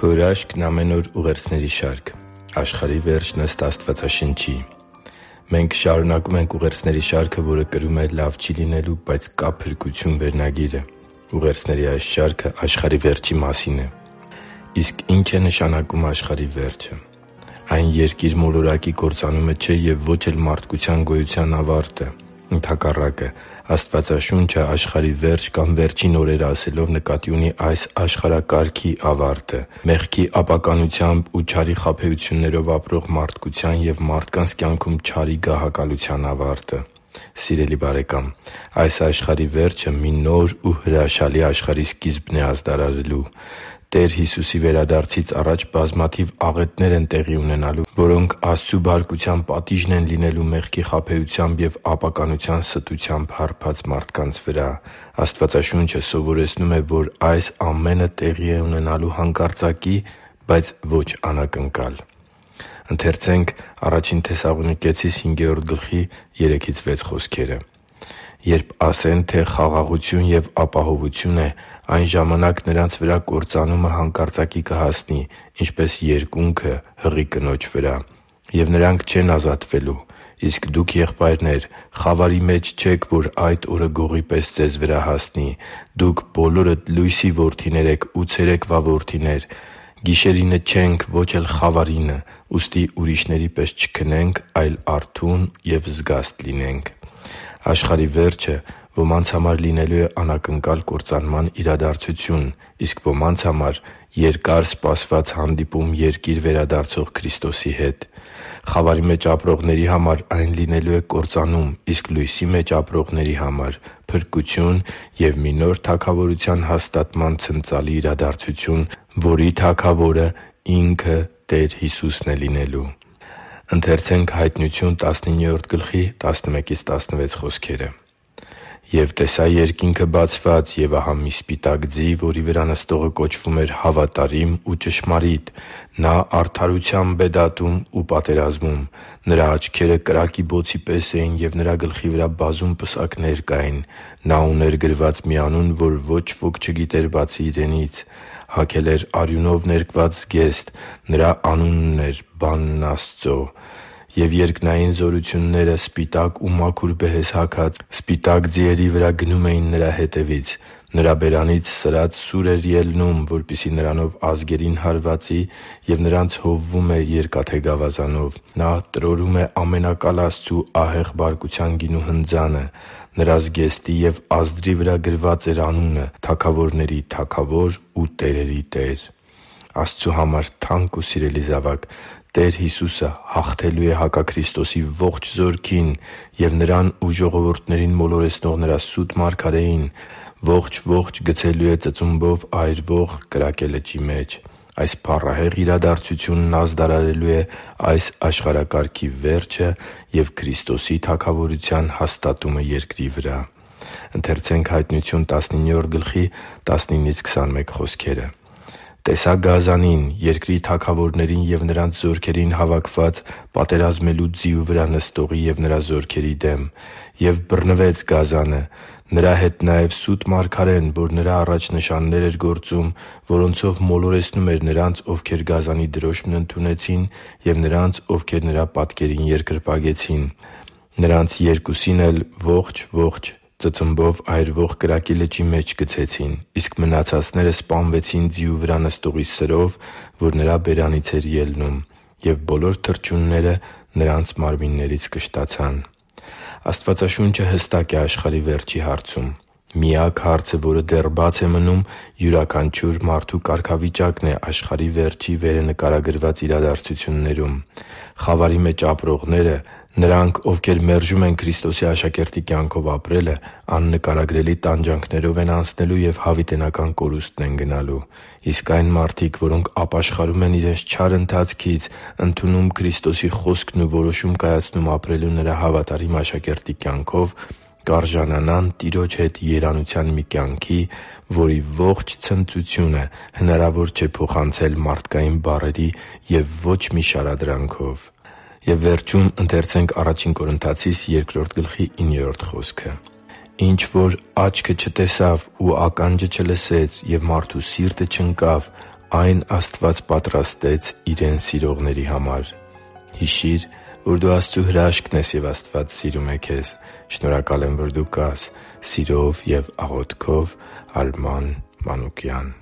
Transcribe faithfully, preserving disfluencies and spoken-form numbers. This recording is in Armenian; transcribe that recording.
Քո հրաշքն ամեն օր ուղերձների շարք։ Աշխարհի վերջն ըստ Աստվածաշնչի։ Մենք շարունակում ենք ուղերձների շարքը, որը կրում է «Լավ չի լինելու, բայց կա փրկություն» վերնագիրը։ Ուղերձների այս շարքը աշխարհի վերջի մասին է։ Իսկ ի՞նչ է նշանակում աշխարհի վերջը։ Այն երկիր մոլորակի կործանումը չէ և ոչ էլ մարդկության գոյության ավարտը։ Ընդհակառակը, Աստվածաշունչը աշխարհի վերջ կամ վերջին օրերը ասելով նկատի ունի այս աշխարհակարգի ավարտը՝ մեղքի ապականությամբ ու չարի խաբեություններով ապրող մարդկության և մարդկանց կյանքում չարի գահակալության ավարտը։ Սիրելի՛ բարեկամ, այս աշխարհի վերջը մի նոր ու հրաշալի աշխարհի սկիզբն է ազդարարելու։ Տեր Հիսուսի վերադարձից առաջ բազմաթիվ աղետներ են տեղի ունենալու, որոնք Աստծու բարկության պատիժն են լինելու մեղքի խաբեությամբ և ապականության ստությամբ հարբած մարդկանց վրա։ Աստվածաշունչը սովորեցնում է, որ այս ամենը տեղի է ունենալու հանկարծակի, բայց ոչ անակնկալ։ «Երբ ասեն, թե խաղաղություն և ապահովություն է, այն ժամանակ նրանց վրա կործանումը հանկարծակի կհասնի, ինչպես երկունքը հղի կնոջ վրա, և նրանք չեն ազատվելու։ Իսկ դուք, եղբայրնե՛ր, խավարի մեջ չեք, որ այդ օրը գողի պես ձեզ վրա հասնի։ Դուք բոլորդ լույսի որդիներ եք ու ցերեկվա որդիներ։ Գիշերինը չենք, ոչ էլ խավարինը։ Ուստի ուրիշների պես չքնենք, այլ արթուն և զգաստ լինենք» (Ա Թեսաղոնիկեցիս cinque Աշխարհի վերջը ոմանց համար լինելու է անակնկալ կործանման իրադարձություն, իսկ ոմանց համար՝ երկար սպասված հանդիպում Երկիր վերադարձող Քրիստոսի հետ։ Խավարի մեջ ապրողների համար այն լինելու է կործանում, իսկ լույսի մեջ ապրողների համար՝ փրկություն և մի նոր թագավորության հաստատման ցնծալի իրադարձություն, որի Թագավորը Ինքը Տեր Հիսուսն է լինելու։ «Եվ տեսա երկինքը բացված, և ահա մի սպիտակ ձի, որի վրա նստողը կոչվում էր Հավատարիմ ու Ճշմարիտ. նա արդարությամբ է դատում ու պատերազմում։ Նրա աչքերը կրակի բոցի պես էին, և նրա գլխի վրա բազում պսակներ կային։ Նա ուներ գրված մի անուն, որ ոչ ոք չգիտեր բացի իրենից։ Հագել էր արյունով ներկված զգեստ. նրա անունն էր Բանն Աստծո։ Եվ երկնային զորությունները սպիտակ ու մաքուր բեհեզ հագած սպիտակ ձիերի վրա գնում էին նրա հետևից։ Նրա բերանից սրած սուր էր ելնում, որպեսզի նրանով ազգերին հարվածի, և նրանց հովվում է երկաթե գավազանով։ Նա տրորում է Ամենակալ Աստծու ահեղ բարկության գինու հնձանը։ Նրա զգեստի և ազդրի վրա գրված էր անունը՝ Թագավորների Թագավոր ու տերերի Տեր» (Հայտնություն տասնինը Աստծու համար թանկ ու սիրելի՛ զավակ, Տեր Հիսուսը հաղթելու է հակաքրիստոսի ողջ զորքին և Նրան ու ժողովուրդներին մոլորեցնող Նրա սուտ Մարգարեին ողջ-ողջ գցելու է ծծումբով այրվող կրակե լճի մեջ։ Այս փառահեղ իրադարձությունն ազդարարելու է այս աշխարհակարգի վերջը և Քրիստոսի թագավորության հաստատումը երկրի վրա։ «Տեսա գազանին՝ երկրի թագավորներին և նրանց զորքերին հավաքված՝ պատերազմելու ձիու վրա նստողի և նրա զորքերի դեմ։ Եվ բռնվեց գազանը։ Նրա հետ նաև սուտ մարգարեն, որ նրա առաջ նշաններ էր գործում, որոնցով մոլորեցնում էր նրանց, ովքեր գազանի դրոշմն ընդունեցին, և նրանց, ովքեր նրա պատկերին երկրպագեցին։ Նրանց երկուսին էլ ողջ-ողջ ծծմբով այրվող կրակի լճի մեջ գցեցին։ Իսկ մնացածները սպանվեցին ձիու վրա նստողի սրով, որ նրա բերանից էր ելնում, և բոլոր թռչունները նրանց մարմիններից կշտացան» (Հայտնություն տասնինը Աստվածաշունչը հստակ է աշխարհի վերջի հարցում։ Միակ հարցը, որը դեռ բաց է մնում, յուրաքանչյուր մարդու կարգավիճակն է աշխարհի վերջի վերը նկարագրված իրադարձություններում։ Խավարի մեջ ապրողները՝ նրանք, ովքեր մերժում են Քրիստոսի աշակերտի կյանքով ապրելը, աննկարագրելի տանջանքներով են անցնելու և հավիտենական կորուստն են գնալու։ Իսկ այն մարդիկ, որոնք ապաշխարում են իրենց չար ընթացքից, ընդունում Քրիստոսի խոսքն ու որոշում կայացնում ապրելու Նրա հավատարիմ աշակերտի կյանքով, կարժանանան Տիրոջ հետ երանության մի կյանքի, որի ողջ ցնծությունը հնարավոր չէ փոխանցել մարդկային բառերի և ոչ մի շարադրանքով։ «Ինչ որ աչքը չտեսավ ու ականջը չլսեց և մարդու սիրտը չընկավ, այն Աստված պատրաստեց Իրեն սիրողների համար։ Հիշի՛ր, որ դու Աստծո հրաշքն ես, և Աստված սիրում է քեզ։ Շնորհակալ եմ, որ դու կա՛ս։ Սիրով և աղոթքով՝ Արման Մանուկյան։